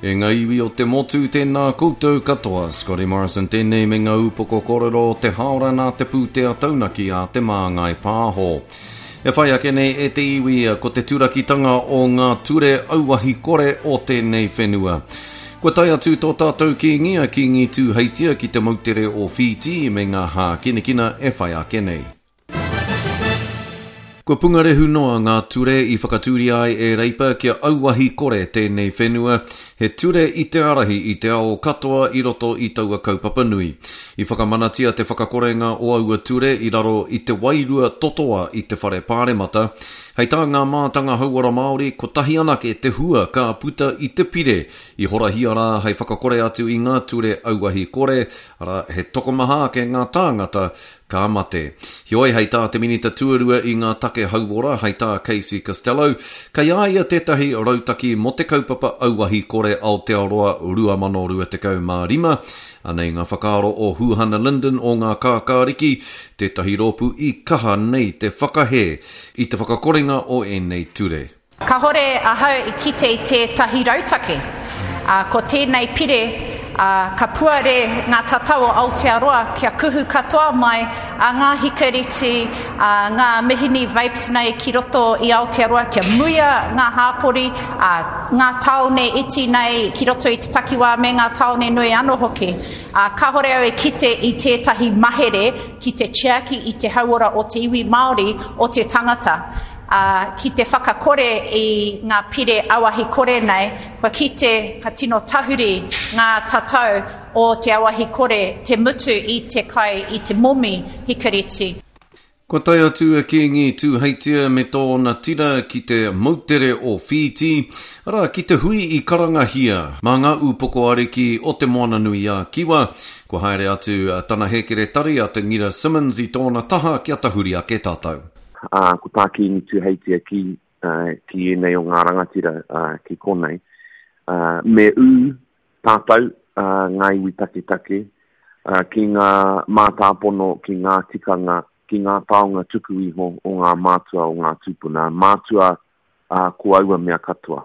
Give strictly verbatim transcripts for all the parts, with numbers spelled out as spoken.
E ngā iwi o te motu, tēnā koutou katoa. Scotty Morrison tēnei me ngā upoko kōrero o te haora nā te pūtea taunaki a Te Māngai Pāho. E whai ake nei e te iwi ko te turakitanga o ngā ture auahi kore o tēnei whenua. Kua tae atu tō tātou kīngi a Kīngi Tūheitia ki te moutere o Whītī me ngā hākinakina e whai ake nei. Kua pungarehu noa ngā ture i whakatūria ai e Reipa kia auahi kore tēnei whenua, he ture i te ārahi i te ao katoa i roto i taua kaupapa nui. I whakamanatia te whakakorenga o aua ture i raro i te wairua totoa i te whare pāremata. Hei tā ngā mātanga hauora Māori, kotahi anake te hua ka puta i te pire i horahia rā hei whakakore atu i ngā ture auahi kore, arā he tokomaha ake ngā tāngata ka mate. Heoi, hei tā te minita tuarua i ngā take hauora, hei tā Casey Costello, kei a ia tētahi rautaki mō te kaupapa auahi kore Aotearoa rua mano rua tekau mā rima. Anei ngā whakaaro o Huhana Lyndon o ngā Kākāriki, tētahi rōpū i kaha nei te whakahē i te whakakorenga o ēnei ture. Kahore ahau i kite i tētahi rautaki. Ko tēnei pire, ka puare ngā tatau o Aotearoa kia kuhu katoa mai a ngā hikareti, a ngā mihini vapes nei ki roto i Aotearoa, kia muia ngā hāpori, a ngā tāone iti nei ki roto i te takiwā me ngā tāone nui anō hoki. A, kahore au e kite i tētahi mahere ki te tiaki i te hauora o te iwi Māori o te tangata. Uh, ki te whakakore i ngā pire auahi kore nei, kua kite ka tino tahuri ngā tatau o te auahi kore, te mutu i te kai, i te momi hikareti. Kua tae atu a Kīngi Tūheitia me tōna tira ki te moutere o Whītī, arā ki te hui i karangahia mā ngā upoko ariki o te Moana-nui-a-Kiwa. Kua haere atu tana hēkeretari a Te Ngira Simmons i tōna taha kia tahuri ake tātou. Uh, ko tā Kīngi Tūheitia ki, uh, ki ēnei o ngā rangatira uh, ki konei. Uh, me ū tātou uh, ngā iwi taketake uh, ki ngā mātāpono, ki ngā tikanga, ki ngā taonga tuku iho o ngā mātua o ngā tūpuna. Mātua uh, ko aua mea katoa.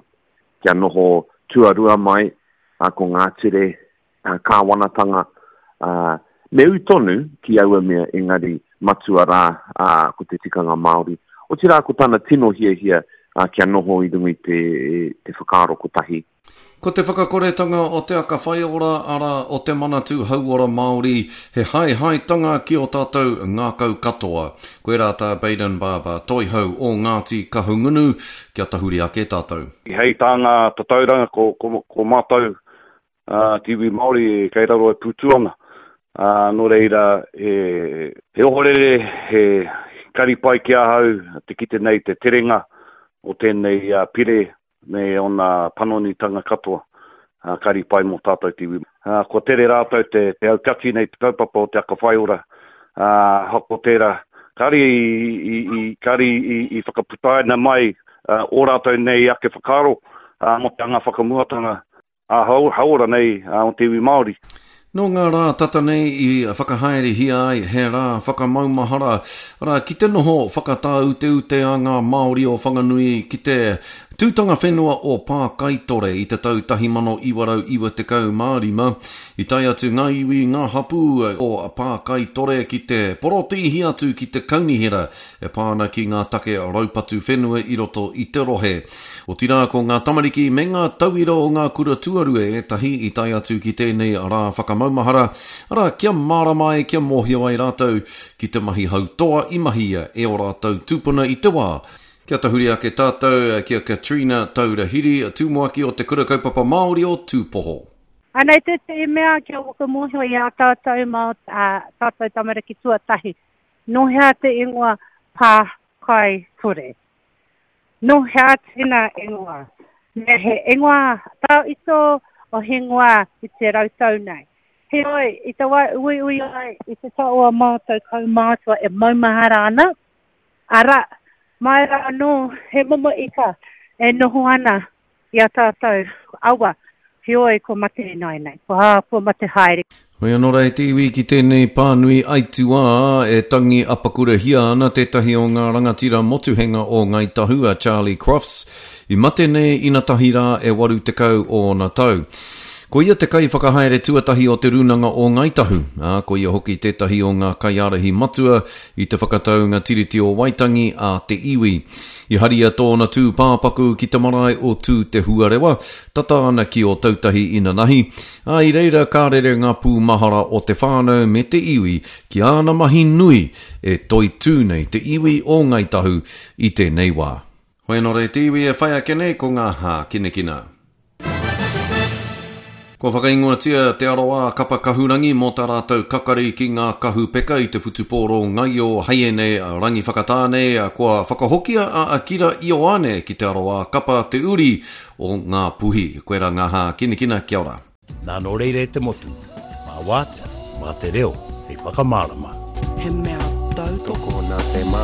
Kia noho tuarua mai uh, ko ngā ture uh, kāwanatanga uh, me ū tonu ki aua mea engari matua rā uh, ko te tikanga Māori. Otirā ko tana tino hiahia uh, kia noho i runga i te, te whakaaro kotahi. Ko te whakakoretanga o te aka whaiora, arā o te Manatū Hauora Māori, he haehaetanga ki o tātou ngākau katoa. Koirā tā Bayden Barber, toihau o Ngāti Kahungunu, kia tahuri ake tātou. Hei tā ngā tatauranga ko, ko, ko mātou uh, te iwi Māori kei raro e pūtu ana. Uh, nō reira, he, he ohorere, he kari pai ki ahau, te kite nei te terenga o tēnei uh, pire me ona panonitanga katoa, uh, kari pai mō tātou te iwi. Uh, kua tere rātou te, te aukati nei te kaupapa o te aka whaiora, uh, hako tērā, kari i, i, i, kari i, i whakaputaina mai uh, o rātou nei ake whakaaro uh, mō te anga whakamuatanga a hauora nei uh, o te iwi Māori. Nō ngā rā tata nei i whakahaerehia ai he rā whakamaumahara, arā ki te noho whakatāuteute a ngā Māori o Whanganui ki te tūtanga whenua o Pākaitore i te tau tahi mano iwa rau iwa tekau mā rima. I tae atu ngā iwi ngā hapū o Pākaitore ki te porotīhi atu ki te kaunihera e pā ana ki ngā take raupatu whenua i roto i te rohe. Otirā ko ngā tamariki me ngā tauira o ngā kura tuarua ētahi i tae atu ki tēnei rā whakamaumahara, arā kia mārama ai, kia mōhio ai rātou ki te mahi hautoa i mahia e ō rātou tūpuna i te wā. Kia tahuri ake tātou ki a Katrina Taurahiri, tumuaki o te Kura Kaupapa Māori o Tūpoho. Anei tētahi mea kia whakamōhio i a tātou mā tātou tamariki tuatahi. Nō hea te ingoa Pākaitore? Nō hea tēnā ingoa? Me he ingoa tauito o he ingoa i te rautau nei. Heoi, i te wā uiui ai i te taua mātou kaumātua e maumahara ana, ara, mai rā anō he momo ika e noho ana i a tātou awa. Heoi, kua mate ināianei, kua, kua mate haere. Hoi anō rā e te iwi ki tēnei pānui aituā e tangi apakurahia ana tētahi o ngā rangatira motuhenga o Ngāi Tahu a Charlie Crofts, i mate nei inatahi rā e waru tekau ōna tau. Ko ia te kaiwhakahaere tuatahi o Te Rūnanga o Ngāi Tahu, ā, ko ia hoki tētahi o ngā kaiārahi matua i te whakataunga Tiriti o Waitangi a te iwi. I haria tōna tūpāpaku ki te marae o Tū Te Huarewa, tata ana ki Ōtautahi inanahi, ā, i reira ka rere ngā pūmahara o te whānau me te iwi ki āna mahi nui e toitū nei te iwi o Ngāi Tahu i tēnei wā. Hoi anō rā e te iwi e whai ake nei ko ngā hākinakina. Kua whakaingoatia Te Arawa Kapa Kahurangi mō tā rātou kakari ki ngā kahu peka i te whutupōro ngaio Haiene Rangiwhakatāne kua whakahokia a Akira Ioane ki Te Arawa Kapa Te Uri o Ngā Puhi. Koirā ngā hākinakina, kia ora. Nā nō reira e te motu, mā wātea, mā te reo hei whakamārama. He mea tautoko. Tokona te mā